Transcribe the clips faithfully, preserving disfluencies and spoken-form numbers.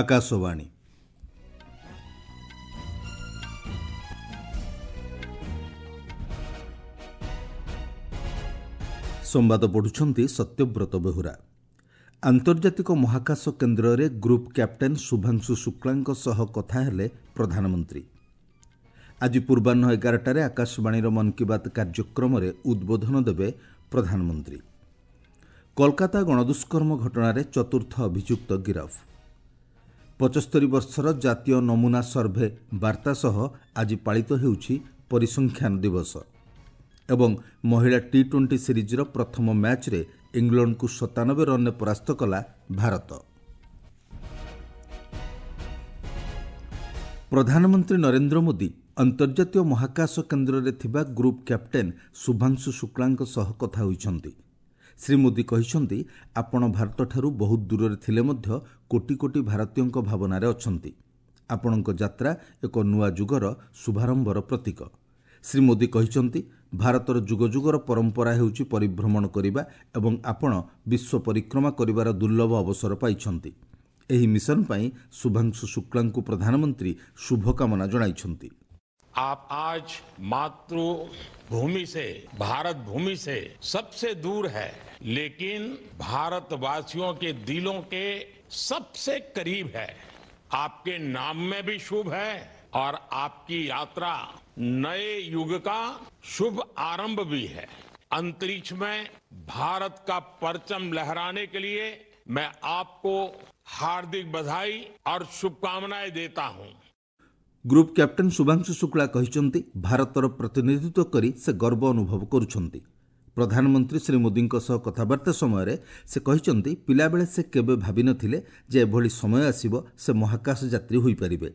ଆକାଶବାଣୀ। ସମ୍ବାଦ ପଢ଼ୁଛନ୍ତି ସତ୍ୟବ୍ରତ ବେହୁରା। ଆନ୍ତର୍ଜାତିକ ମହାକାଶ କେନ୍ଦ୍ରରେ ଗ୍ରୁପ୍ କ୍ୟାପ୍ଟେନ୍ ଶୁଭାଂଶୁ ଶୁକ୍ଳାଙ୍କ ସହ କଥା ହେଲେ ପ୍ରଧାନମନ୍ତ୍ରୀ। ଆଜି ପୂର୍ବାହ୍ନ ଏଗାରଟାରେ ଆକାଶବାଣୀର ମନ୍ କି ବାତ୍ କାର୍ଯ୍ୟକ୍ରମରେ ଉଦ୍ବୋଧନ ଦେବେ ପ୍ରଧାନମନ୍ତ୍ରୀ। କୋଲକାତା ଗଣଦୁଷ୍କର୍ମ ଘଟଣାରେ ଚତୁର୍ଥ ଅଭିଯୁକ୍ତ ଗିରଫ। ପଞ୍ଚସ୍ତରୀ ବର୍ଷର ଜାତୀୟ ନମୁନା ସର୍ଭେ ବାର୍ତ୍ତା ସହ ଆଜି ପାଳିତ ହେଉଛି ପରିସଂଖ୍ୟାନ ଦିବସ। ଏବଂ ମହିଳା ଟି ଟ୍ୱେଣ୍ଟି ସିରିଜ୍ର ପ୍ରଥମ ମ୍ୟାଚ୍ରେ ଇଂଲଣ୍ଡକୁ ସତାନବେ ରନ୍ରେ ପରାସ୍ତ କଲା ଭାରତ। ପ୍ରଧାନମନ୍ତ୍ରୀ ନରେନ୍ଦ୍ର ମୋଦି ଅନ୍ତର୍ଜାତୀୟ ମହାକାଶ କେନ୍ଦ୍ରରେ ଥିବା ଗ୍ରୁପ୍ କ୍ୟାପ୍ଟେନ୍ ଶୁଭାଂଶୁ ଶୁକ୍ଳାଙ୍କ ସହ କଥା ହୋଇଛନ୍ତି। ଶ୍ରୀ ମୋଦି କହିଛନ୍ତି, ଆପଣ ଭାରତଠାରୁ ବହୁତ ଦୂରରେ ଥିଲେ ମଧ୍ୟ କୋଟି କୋଟି ଭାରତୀୟଙ୍କ ଭାବନାରେ ଅଛନ୍ତି। ଆପଣଙ୍କ ଯାତ୍ରା ଏକ ନୂଆ ଯୁଗର ଶୁଭାରମ୍ଭର ପ୍ରତୀକ। ଶ୍ରୀ ମୋଦି କହିଛନ୍ତି, ଭାରତର ଯୁଗ ଯୁଗର ପରମ୍ପରା ହେଉଛି ପରିଭ୍ରମଣ କରିବା ଏବଂ ଆପଣ ବିଶ୍ୱ ପରିକ୍ରମା କରିବାର ଦୁର୍ଲଭ ଅବସର ପାଇଛନ୍ତି। ଏହି ମିଶନ ପାଇଁ ଶୁଭାଂଶୁ ଶୁକ୍ଳାଙ୍କୁ ପ୍ରଧାନମନ୍ତ୍ରୀ ଶୁଭକାମନା ଜଣାଇଛନ୍ତି। आप आज मातृभूमि से, भारत भूमि से सबसे दूर है, लेकिन भारतवासियों के दिलों के सबसे करीब है। आपके नाम में भी शुभ है और आपकी यात्रा नए युग का शुभ आरंभ भी है। अंतरिक्ष में भारत का परचम लहराने के लिए मैं आपको हार्दिक बधाई और शुभकामनाएं देता हूं। ଗ୍ରୁପ୍ କ୍ୟାପ୍ଟେନ୍ ଶୁଭାଂଶୁ ଶୁକ୍ଳା କହିଛନ୍ତି, ଭାରତର ପ୍ରତିନିଧିତ୍ୱ କରି ସେ ଗର୍ବ ଅନୁଭବ କରୁଛନ୍ତି। ପ୍ରଧାନମନ୍ତ୍ରୀ ଶ୍ରୀ ମୋଦିଙ୍କ ସହ କଥାବାର୍ତ୍ତା ସମୟରେ ସେ କହିଛନ୍ତି, ପିଲାବେଳେ ସେ କେବେ ଭାବିନଥିଲେ ଯେ ଏଭଳି ସମୟ ଆସିବ ସେ ମହାକାଶ ଯାତ୍ରୀ ହୋଇପାରିବେ।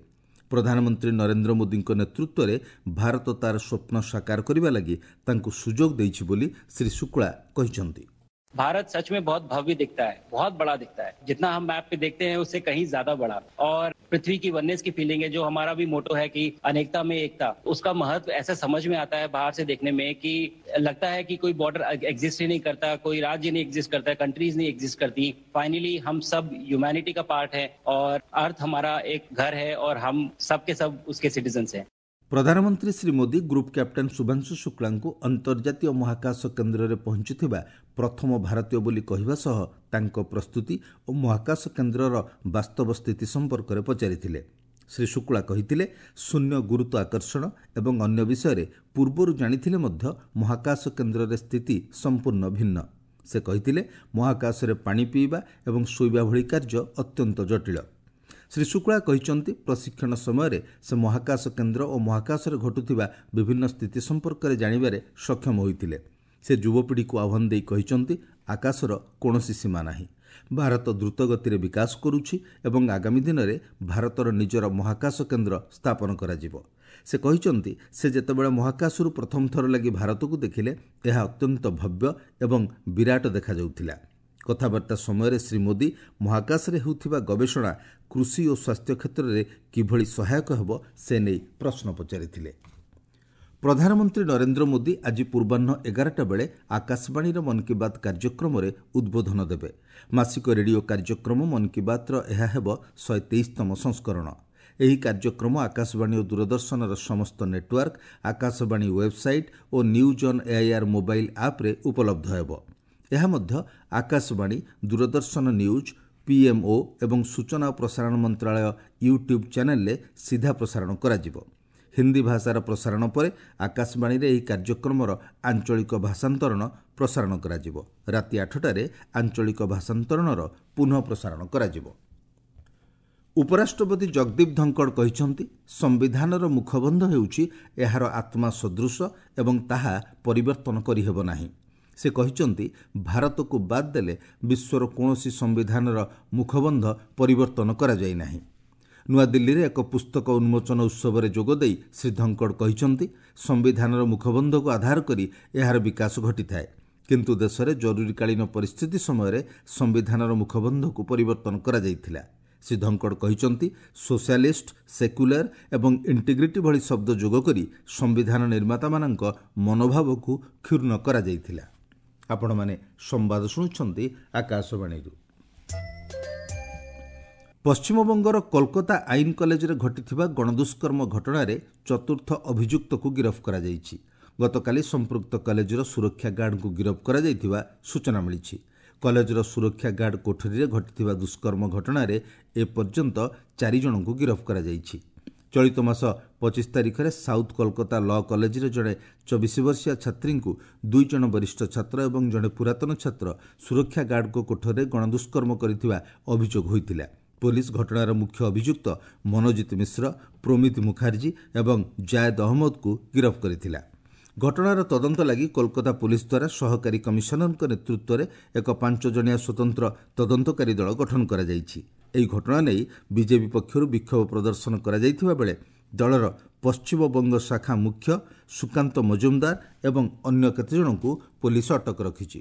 ପ୍ରଧାନମନ୍ତ୍ରୀ ନରେନ୍ଦ୍ର ମୋଦିଙ୍କ ନେତୃତ୍ୱରେ ଭାରତ ତାର ସ୍ୱପ୍ନ ସାକାର କରିବା ଲାଗି ତାଙ୍କୁ ସୁଯୋଗ ଦେଇଛି ବୋଲି ଶ୍ରୀ ଶୁକ୍ଳା କହିଛନ୍ତି। भारत सच में बहुत भव्य दिखता है, बहुत बड़ा दिखता है। जितना हम मैप पे देखते हैं उससे कहीं ज्यादा बड़ा। और पृथ्वी की वननेस की फीलिंग है, जो हमारा भी मोटो है कि अनेकता में एकता, उसका महत्व ऐसा समझ में आता है बाहर से देखने में कि लगता है कि कोई बॉर्डर एग्जिस्ट ही नहीं करता, कोई राज्य नहीं एग्जिस्ट करता, कंट्रीज नहीं एग्जिस्ट करती। फाइनली हम सब ह्यूमैनिटी का पार्ट है और अर्थ हमारा एक घर है और हम सब के सब उसके सिटीजन्स हैं। ପ୍ରଧାନମନ୍ତ୍ରୀ ଶ୍ରୀ ମୋଦି ଗ୍ରୁପ୍ କ୍ୟାପ୍ଟେନ୍ ଶୁଭାଂଶୁ ଶୁକ୍ଳାଙ୍କୁ ଅନ୍ତର୍ଜାତୀୟ ମହାକାଶ କେନ୍ଦ୍ରରେ ପହଞ୍ଚିଥିବା ପ୍ରଥମ ଭାରତୀୟ ବୋଲି କହିବା ସହ ତାଙ୍କ ପ୍ରସ୍ତୁତି ଓ ମହାକାଶ କେନ୍ଦ୍ରର ବାସ୍ତବ ସ୍ଥିତି ସମ୍ପର୍କରେ ପଚାରିଥିଲେ। ଶ୍ରୀ ଶୁକ୍ଳା କହିଥିଲେ, ଶୂନ୍ୟ ଗୁରୁତ୍ୱ ଆକର୍ଷଣ ଏବଂ ଅନ୍ୟ ବିଷୟରେ ପୂର୍ବରୁ ଜାଣିଥିଲେ ମଧ୍ୟ ମହାକାଶ କେନ୍ଦ୍ରରେ ସ୍ଥିତି ସମ୍ପୂର୍ଣ୍ଣ ଭିନ୍ନ। ସେ କହିଥିଲେ, ମହାକାଶରେ ପାଣି ପିଇବା ଏବଂ ଶୋଇବା ଭଳି କାର୍ଯ୍ୟ ଅତ୍ୟନ୍ତ ଜଟିଳ। ଶ୍ରୀ ଶୁକ୍ଳା କହିଛନ୍ତି, ପ୍ରଶିକ୍ଷଣ ସମୟରେ ସେ ମହାକାଶ କେନ୍ଦ୍ର ଓ ମହାକାଶରେ ଘଟୁଥିବା ବିଭିନ୍ନ ସ୍ଥିତି ସମ୍ପର୍କରେ ଜାଣିବାରେ ସକ୍ଷମ ହୋଇଥିଲେ। ସେ ଯୁବପିଢ଼ିକୁ ଆହ୍ୱାନ ଦେଇ କହିଛନ୍ତି, ଆକାଶର କୌଣସି ସୀମା ନାହିଁ। ଭାରତ ଦ୍ରୁତ ଗତିରେ ବିକାଶ କରୁଛି ଏବଂ ଆଗାମୀ ଦିନରେ ଭାରତର ନିଜର ମହାକାଶ କେନ୍ଦ୍ର ସ୍ଥାପନ କରାଯିବ। ସେ କହିଛନ୍ତି, ସେ ଯେତେବେଳେ ମହାକାଶରୁ ପ୍ରଥମ ଥର ଲାଗି ଭାରତକୁ ଦେଖିଲେ, ଏହା ଅତ୍ୟନ୍ତ ଭବ୍ୟ ଏବଂ ବିରାଟ ଦେଖାଯାଉଥିଲା। କଥାବାର୍ତ୍ତା ସମୟରେ ଶ୍ରୀ ମୋଦି ମହାକାଶରେ ହେଉଥିବା ଗବେଷଣା କୃଷି ଓ ସ୍ୱାସ୍ଥ୍ୟ କ୍ଷେତ୍ରରେ କିଭଳି ସହାୟକ ହେବ ସେ ନେଇ ପ୍ରଶ୍ନ ପଚାରିଥିଲେ। ପ୍ରଧାନମନ୍ତ୍ରୀ ନରେନ୍ଦ୍ର ମୋଦି ଆଜି ପୂର୍ବାହ୍ନ ଏଗାରଟା ବେଳେ ଆକାଶବାଣୀର ମନ୍ କି ବାତ୍ କାର୍ଯ୍ୟକ୍ରମରେ ଉଦ୍ବୋଧନ ଦେବେ। ମାସିକ ରେଡିଓ କାର୍ଯ୍ୟକ୍ରମ ମନ୍ କି ବାତ୍ର ଏହା ହେବ ଶହେ ତେଇଶତମ ସଂସ୍କରଣ। ଏହି କାର୍ଯ୍ୟକ୍ରମ ଆକାଶବାଣୀ ଓ ଦୂରଦର୍ଶନର ସମସ୍ତ network, Akashvani website O news on AIR mobile ଆପ୍ରେ ଉପଲବ୍ଧ ହେବ। ଏହା ମଧ୍ୟ ଆକାଶବାଣୀ, ଦୂରଦର୍ଶନ ନ୍ୟୁଜ୍, ପିଏମ୍ଓ ଏବଂ ସୂଚନା ଓ ପ୍ରସାରଣ ମନ୍ତ୍ରାଳୟ ୟୁଟ୍ୟୁବ୍ ଚ୍ୟାନେଲରେ ସିଧା ପ୍ରସାରଣ କରାଯିବ। ହିନ୍ଦୀ ଭାଷାର ପ୍ରସାରଣ ପରେ ଆକାଶବାଣୀରେ ଏହି କାର୍ଯ୍ୟକ୍ରମର ଆଞ୍ଚଳିକ ଭାଷାନ୍ତରଣ ପ୍ରସାରଣ କରାଯିବ। ରାତି ଆଠଟାରେ ଆଞ୍ଚଳିକ ଭାଷାନ୍ତରଣର ପୁନଃ ପ୍ରସାରଣ କରାଯିବ। ଉପରାଷ୍ଟ୍ରପତି ଜଗଦୀପ ଧଙ୍କଡ଼ କହିଛନ୍ତି, ସମ୍ବିଧାନର ମୁଖବନ୍ଧ ହେଉଛି ଏହାର ଆତ୍ମା ସଦୃଶ ଏବଂ ତାହା ପରିବର୍ତ୍ତନ କରିହେବ ନାହିଁ। ସେ କହିଛନ୍ତି, ଭାରତକୁ ବାଦ୍ ଦେଲେ ବିଶ୍ୱର କୌଣସି ସମ୍ବିଧାନର ମୁଖବନ୍ଧ ପରିବର୍ତ୍ତନ କରାଯାଇ ନାହିଁ। ନୂଆଦିଲ୍ଲୀରେ ଏକ ପୁସ୍ତକ ଉନ୍ମୋଚନ ଉତ୍ସବରେ ଯୋଗଦେଇ ଶ୍ରୀ ଧଙ୍କଡ଼ କହିଛନ୍ତି, ସମ୍ବିଧାନର ମୁଖବନ୍ଧକୁ ଆଧାର କରି ଏହାର ବିକାଶ ଘଟିଥାଏ, କିନ୍ତୁ ଦେଶରେ ଜରୁରୀକାଳୀନ ପରିସ୍ଥିତି ସମୟରେ ସମ୍ବିଧାନର ମୁଖବନ୍ଧକୁ ପରିବର୍ତ୍ତନ କରାଯାଇଥିଲା। ଶ୍ରୀ ଧଙ୍କଡ଼ କହିଛନ୍ତି, ସୋସିଆଲିଷ୍ଟ, ସେକ୍ୟୁଲାର ଏବଂ ଇଣ୍ଟିଗ୍ରିଟି ଭଳି ଶବ୍ଦ ଯୋଗ କରି ସମ୍ବିଧାନ ନିର୍ମାତାମାନଙ୍କ ମନୋଭାବକୁ କ୍ଷୁଣ୍ଣ କରାଯାଇଥିଲା। ଆପଣମାନେ ସମ୍ବାଦ ଶୁଣୁଛନ୍ତି ଆକାଶବାଣୀରୁ। ପଶ୍ଚିମବଙ୍ଗର କୋଲକାତା ଆଇନ କଲେଜରେ ଘଟିଥିବା ଗଣଦୁଷ୍କର୍ମ ଘଟଣାରେ ଚତୁର୍ଥ ଅଭିଯୁକ୍ତକୁ ଗିରଫ କରାଯାଇଛି। ଗତକାଲି ସମ୍ପୃକ୍ତ କଲେଜର ସୁରକ୍ଷା ଗାର୍ଡଙ୍କୁ ଗିରଫ କରାଯାଇଥିବା ସୂଚନା ମିଳିଛି। କଲେଜର ସୁରକ୍ଷା ଗାର୍ଡ କୋଠରୀରେ ଘଟିଥିବା ଦୁଷ୍କର୍ମ ଘଟଣାରେ ଏପର୍ଯ୍ୟନ୍ତ ଚାରି ଜଣଙ୍କୁ ଗିରଫ କରାଯାଇଛି। ଚଳିତ ମାସ ପଚିଶ ତାରିଖରେ ସାଉଥ୍ କୋଲକାତା ଲ କଲେଜରେ ଜଣେ ଚବିଶ ବର୍ଷୀୟା ଛାତ୍ରୀଙ୍କୁ ଦୁଇ ଜଣ ବରିଷ୍ଠ ଛାତ୍ର ଏବଂ ଜଣେ ପୁରାତନ ଛାତ୍ର ସୁରକ୍ଷା ଗାର୍ଡଙ୍କ କୋଠରୀରେ ଗଣଦୁଷ୍କର୍ମ କରିଥିବା ଅଭିଯୋଗ ହୋଇଥିଲା। ପୋଲିସ ଘଟଣାର ମୁଖ୍ୟ ଅଭିଯୁକ୍ତ ମନୋଜିତ ମିଶ୍ର, ପ୍ରୋମିତ ମୁଖାର୍ଜୀ ଏବଂ ଜାୟଦ ଅହମ୍ମଦକୁ ଗିରଫ କରିଥିଲା। ଘଟଣାର ତଦନ୍ତ ଲାଗି କୋଲକାତା ପୋଲିସ ଦ୍ୱାରା ସହକାରୀ କମିଶନରଙ୍କ ନେତୃତ୍ୱରେ ଏକ ପାଞ୍ଚ ଜଣିଆ ସ୍ୱତନ୍ତ୍ର ତଦନ୍ତକାରୀ ଦଳ ଗଠନ କରାଯାଇଛି। ଏହି ଘଟଣା ନେଇ ବିଜେପି ପକ୍ଷରୁ ବିକ୍ଷୋଭ ପ୍ରଦର୍ଶନ କରାଯାଇଥିବା ବେଳେ ଦଳର ପଶ୍ଚିମବଙ୍ଗ ଶାଖା ମୁଖ୍ୟ ସୁକାନ୍ତ ମଜୁମଦାର ଏବଂ ଅନ୍ୟ କେତେଜଣଙ୍କୁ ପୋଲିସ ଅଟକ ରଖିଛି।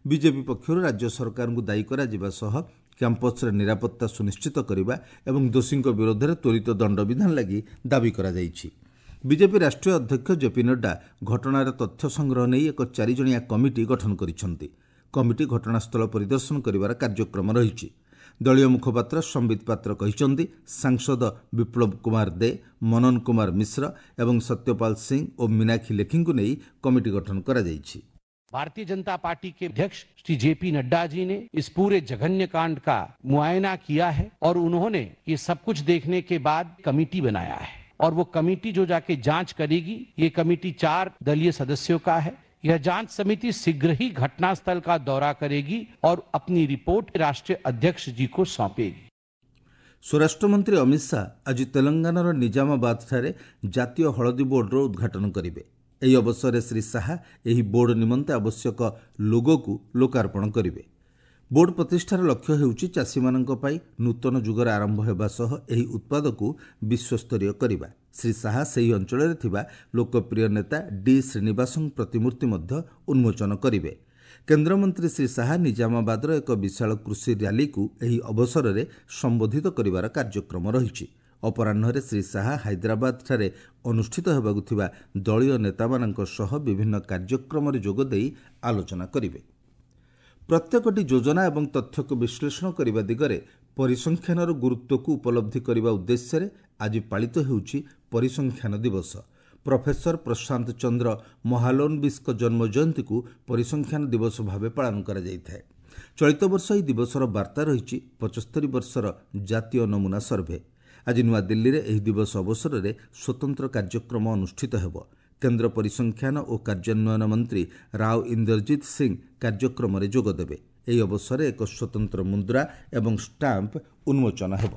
ବିଜେପି ପକ୍ଷରୁ ରାଜ୍ୟ ସରକାରଙ୍କୁ ଦାୟୀ କରାଯିବା ସହ କ୍ୟାମ୍ପସରେ ନିରାପତ୍ତା ସୁନିଶ୍ଚିତ କରିବା ଏବଂ ଦୋଷୀଙ୍କ ବିରୋଧରେ ତ୍ୱରିତ ଦଣ୍ଡବିଧାନ ଲାଗି ଦାବି କରାଯାଇଛି। ବିଜେପି ରାଷ୍ଟ୍ରୀୟ ଅଧ୍ୟକ୍ଷ ଜେପି ନଡ୍ଡା ଘଟଣାର ତଥ୍ୟ ସଂଗ୍ରହ ନେଇ ଏକ ଚାରିଜଣିଆ କମିଟି ଗଠନ କରିଛନ୍ତି। କମିଟି ଘଟଣାସ୍ଥଳ ପରିଦର୍ଶନ କରିବାର କାର୍ଯ୍ୟକ୍ରମ ରହିଛି। ଦଳୀୟ ମୁଖପାତ୍ର ସମ୍ବିତ ପାତ୍ର କହିଛନ୍ତି, ସାଂସଦ ବିପ୍ଳବ କୁମାର ଦେ, ମନନ କୁମାର ମିଶ୍ର ଏବଂ ସତ୍ୟପାଲ ସିଂ ଓ ମୀନାକ୍ଷୀ ଲେଖିଙ୍କୁ ନେଇ କମିଟି ଗଠନ କରାଯାଇଛି। भारतीय जनता पार्टी के अध्यक्ष श्री जेपी नड्डा जी ने इस पूरे जघन्य कांड का मुआयना किया है और उन्होंने ये सब कुछ देखने के बाद कमेटी बनाया है और वो कमेटी जो जाके जांच करेगी, ये कमेटी चार दलीय सदस्यों का है। यह जांच समिति शीघ्र ही घटनास्थल का दौरा करेगी और अपनी रिपोर्ट राष्ट्रीय अध्यक्ष जी को सौंपेगी। ସ୍ୱରାଷ୍ଟ୍ରମନ୍ତ୍ରୀ ଅମିତ ଶାହା ଆଜି ତେଲଙ୍ଗାନାର ନିଜାମାବାଦଠାରେ ଜାତୀୟ ହଳଦୀ ବୋର୍ଡର ଉଦ୍ଘାଟନ କରିବେ। ଏହି ଅବସରରେ ଶ୍ରୀ ଶାହା ଏହି ବୋର୍ଡ ନିମନ୍ତେ ଆବଶ୍ୟକ ଲୋଗୋକୁ ଲୋକାର୍ପଣ କରିବେ। ବୋର୍ଡ ପ୍ରତିଷ୍ଠାର ଲକ୍ଷ୍ୟ ହେଉଛି ଚାଷୀମାନଙ୍କ ପାଇଁ ନୂତନ ଯୁଗର ଆରମ୍ଭ ହେବା ସହ ଏହି ଉତ୍ପାଦକୁ ବିଶ୍ୱସ୍ତରୀୟ କରିବା। ଶ୍ରୀ ଶାହା ସେହି ଅଞ୍ଚଳରେ ଥିବା ଲୋକପ୍ରିୟ ନେତା ଡି ଶ୍ରୀନିବାସଙ୍କ ପ୍ରତିମୂର୍ତ୍ତି ମଧ୍ୟ ଉନ୍ମୋଚନ କରିବେ। କେନ୍ଦ୍ରମନ୍ତ୍ରୀ ଶ୍ରୀ ଶାହା ନିଜାମାବାଦର ଏକ ବିଶାଳ କୃଷି ର୍ୟାଲିକୁ ଏହି ଅବସରରେ ସମ୍ବୋଧିତ କରିବାର କାର୍ଯ୍ୟକ୍ରମ ରହିଛି। ଅପରାହ୍ନରେ ଶ୍ରୀ ଶାହା ହାଇଦ୍ରାବାଦଠାରେ ଅନୁଷ୍ଠିତ ହେବାକୁ ଥିବା ଦଳୀୟ ନେତାମାନଙ୍କ ସହ ବିଭିନ୍ନ କାର୍ଯ୍ୟକ୍ରମରେ ଯୋଗଦେଇ ଆଲୋଚନା କରିବେ। ପ୍ରତ୍ୟେକଟି ଯୋଜନା ଏବଂ ତଥ୍ୟକୁ ବିଶ୍ଳେଷଣ କରିବା ଦିଗରେ ପରିସଂଖ୍ୟାନର ଗୁରୁତ୍ୱକୁ ଉପଲବ୍ଧି କରିବା ଉଦ୍ଦେଶ୍ୟରେ ଆଜି ପାଳିତ ହେଉଛି ପରିସଂଖ୍ୟାନ ଦିବସ। ପ୍ରଫେସର ପ୍ରଶାନ୍ତ ଚନ୍ଦ୍ର ମହାଲୋନବିସ୍ଙ୍କ ଜନ୍ମ ଜୟନ୍ତୀକୁ ପରିସଂଖ୍ୟାନ ଦିବସ ଭାବେ ପାଳନ କରାଯାଇଥାଏ। ଚଳିତ ବର୍ଷ ଏହି ଦିବସର ବାର୍ତ୍ତା ରହିଛି ପଞ୍ଚସ୍ତରୀ ବର୍ଷର ଜାତୀୟ ନମୁନା ସର୍ଭେ। ଆଜି ନୂଆଦିଲ୍ଲୀରେ ଏହି ଦିବସ ଅବସରରେ ସ୍ୱତନ୍ତ୍ର କାର୍ଯ୍ୟକ୍ରମ ଅନୁଷ୍ଠିତ ହେବ। କେନ୍ଦ୍ର ପରିସଂଖ୍ୟାନ ଓ କାର୍ଯ୍ୟାନ୍ୱୟନ ମନ୍ତ୍ରୀ ରାଓ ଇନ୍ଦରଜିତ ସିଂ କାର୍ଯ୍ୟକ୍ରମରେ ଯୋଗଦେବେ। ଏହି ଅବସରରେ ଏକ ସ୍ୱତନ୍ତ୍ର ମୁଦ୍ରା ଏବଂ ଷ୍ଟାମ୍ପ ଉନ୍ମୋଚନ ହେବ।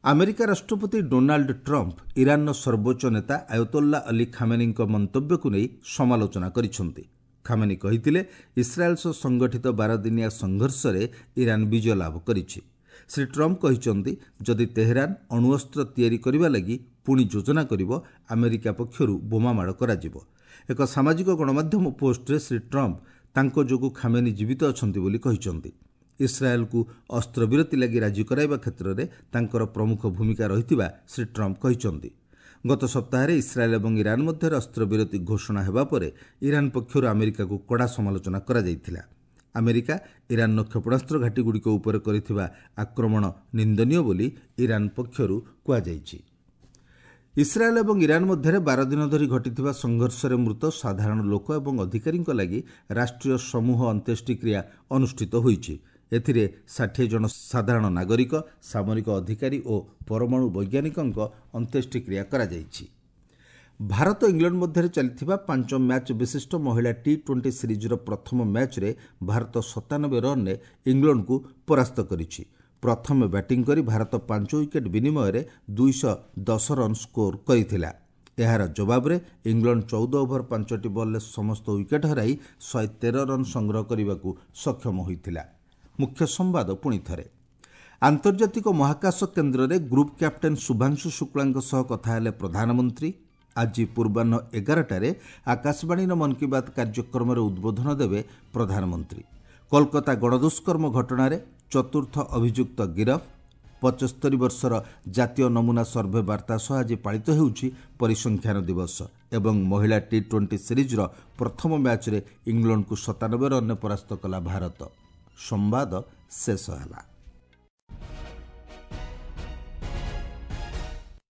ଆମେରିକା ରାଷ୍ଟ୍ରପତି ଡୋନାଲ୍ଡ ଟ୍ରମ୍ପ ଇରାନର ସର୍ବୋଚ୍ଚ ନେତା ଆୟତୋଲ୍ଲା ଅଲି ଖାମେନିଙ୍କ ମନ୍ତବ୍ୟକୁ ନେଇ ସମାଲୋଚନା କରିଛନ୍ତି। ଖାମେନି କହିଥିଲେ, ଇସ୍ରାଏଲ୍ ସହ ସଂଗଠିତ ବାରଦିନିଆ ସଂଘର୍ଷରେ ଇରାନ ବିଜୟ ଲାଭ କରିଛି। ଶ୍ରୀ ଟ୍ରମ୍ପ କହିଛନ୍ତି, ଯଦି ତେହେରାନ ଅଣୁଅସ୍ତ୍ର ତିଆରି କରିବା ଲାଗି ପୁଣି ଯୋଜନା କରିବ, ଆମେରିକା ପକ୍ଷରୁ ବୋମାମାଡ଼ କରାଯିବ। ଏକ ସାମାଜିକ ଗଣମାଧ୍ୟମ ପୋଷ୍ଟରେ ଶ୍ରୀ ଟ୍ରମ୍ପ ତାଙ୍କ ଯୋଗୁଁ ଖାମେନି ଜୀବିତ ଅଛନ୍ତି ବୋଲି କହିଛନ୍ତି। ଇସ୍ରାଏଲ୍କୁ ଅସ୍ତ୍ରବିରତି ଲାଗି ରାଜି କରାଇବା କ୍ଷେତ୍ରରେ ତାଙ୍କର ପ୍ରମୁଖ ଭୂମିକା ରହିଥିବା ଶ୍ରୀ ଟ୍ରମ୍ପ କହିଛନ୍ତି। ଗତ ସପ୍ତାହରେ ଇସ୍ରାଏଲ୍ ଏବଂ ଇରାନ ମଧ୍ୟରେ ଅସ୍ତ୍ରବିରତି ଘୋଷଣା ହେବା ପରେ ଇରାନ ପକ୍ଷରୁ ଆମେରିକାକୁ କଡ଼ା ସମାଲୋଚନା କରାଯାଇଥିଲା। ଆମେରିକା ଇରାନର କ୍ଷେପଣାସ୍ତ୍ର ଘାଟିଗୁଡ଼ିକ ଉପରେ କରିଥିବା ଆକ୍ରମଣ ନିନ୍ଦନୀୟ ବୋଲି ଇରାନ ପକ୍ଷରୁ କୁହାଯାଇଛି। ଇସ୍ରାଏଲ୍ ଏବଂ ଇରାନ ମଧ୍ୟରେ ବାର ଦିନ ଧରି ଘଟିଥିବା ସଂଘର୍ଷରେ ମୃତ ସାଧାରଣ ଲୋକ ଏବଂ ଅଧିକାରୀଙ୍କ ଲାଗି ରାଷ୍ଟ୍ରୀୟ ସମୂହ ଅନ୍ତ୍ୟେଷ୍ଟିକ୍ରିୟା ଅନୁଷ୍ଠିତ ହୋଇଛି। ଏଥିରେ ଷାଠିଏ ଜଣ ସାଧାରଣ ନାଗରିକ, ସାମରିକ ଅଧିକାରୀ ଓ ପରମାଣୁ ବୈଜ୍ଞାନିକଙ୍କ ଅନ୍ତ୍ୟେଷ୍ଟିକ୍ରିୟା କରାଯାଇଛି। ଭାରତ ଇଂଲଣ୍ଡ ମଧ୍ୟରେ ଚାଲିଥିବା ପାଞ୍ଚ ମ୍ୟାଚ୍ ବିଶିଷ୍ଟ ମହିଳା ଟି ଟ୍ୱେଣ୍ଟି ସିରିଜ୍ର ପ୍ରଥମ ମ୍ୟାଚ୍ରେ ଭାରତ ସତାନବେ ରନ୍ରେ ଇଂଲଣ୍ଡକୁ ପରାସ୍ତ କରିଛି। ପ୍ରଥମେ ବ୍ୟାଟିଂ କରି ଭାରତ ପାଞ୍ଚ ୱିକେଟ୍ ବିନିମୟରେ ଦୁଇଶହ ଦଶ ରନ୍ ସ୍କୋର କରିଥିଲା। ଏହାର ଜବାବରେ ଇଂଲଣ୍ଡ ଚଉଦ ଓଭର ପାଞ୍ଚଟି ବଲ୍ରେ ସମସ୍ତ ୱିକେଟ୍ ହରାଇ ଶହେ ତେର ରନ୍ ସଂଗ୍ରହ କରିବାକୁ ସକ୍ଷମ ହୋଇଥିଲା। ମୁଖ୍ୟ ସମ୍ବାଦ ପୁଣି ଥରେ। ଆନ୍ତର୍ଜାତିକ ମହାକାଶ କେନ୍ଦ୍ରରେ ଗ୍ରୁପ୍ କ୍ୟାପ୍ଟେନ୍ ଶୁଭାଂଶୁ ଶୁକ୍ଳାଙ୍କ ସହ କଥା ହେଲେ ପ୍ରଧାନମନ୍ତ୍ରୀ। ଆଜି ପୂର୍ବାହ୍ନ ଏଗାରଟାରେ ଆକାଶବାଣୀର ମନ୍ କି ବାତ୍ କାର୍ଯ୍ୟକ୍ରମରେ ଉଦ୍ବୋଧନ ଦେବେ ପ୍ରଧାନମନ୍ତ୍ରୀ। କୋଲକାତା ଗଣଦୁଷ୍କର୍ମ ଘଟଣାରେ ଚତୁର୍ଥ ଅଭିଯୁକ୍ତ ଗିରଫ। ପଞ୍ଚସ୍ତରୀ ବର୍ଷର ଜାତୀୟ ନମୁନା ସର୍ଭେ ବାର୍ତ୍ତା ସହ ଆଜି ପାଳିତ ହେଉଛି ପରିସଂଖ୍ୟାନ ଦିବସ। ଏବଂ ମହିଳା ଟି ଟ୍ୱେଣ୍ଟି ସିରିଜ୍ର ପ୍ରଥମ ମ୍ୟାଚ୍ରେ ଇଂଲଣ୍ଡକୁ ସତାନବେ ରନ୍ରେ ପରାସ୍ତ କଲା ଭାରତ। ସମ୍ବାଦ ଶେଷ ହେଲା।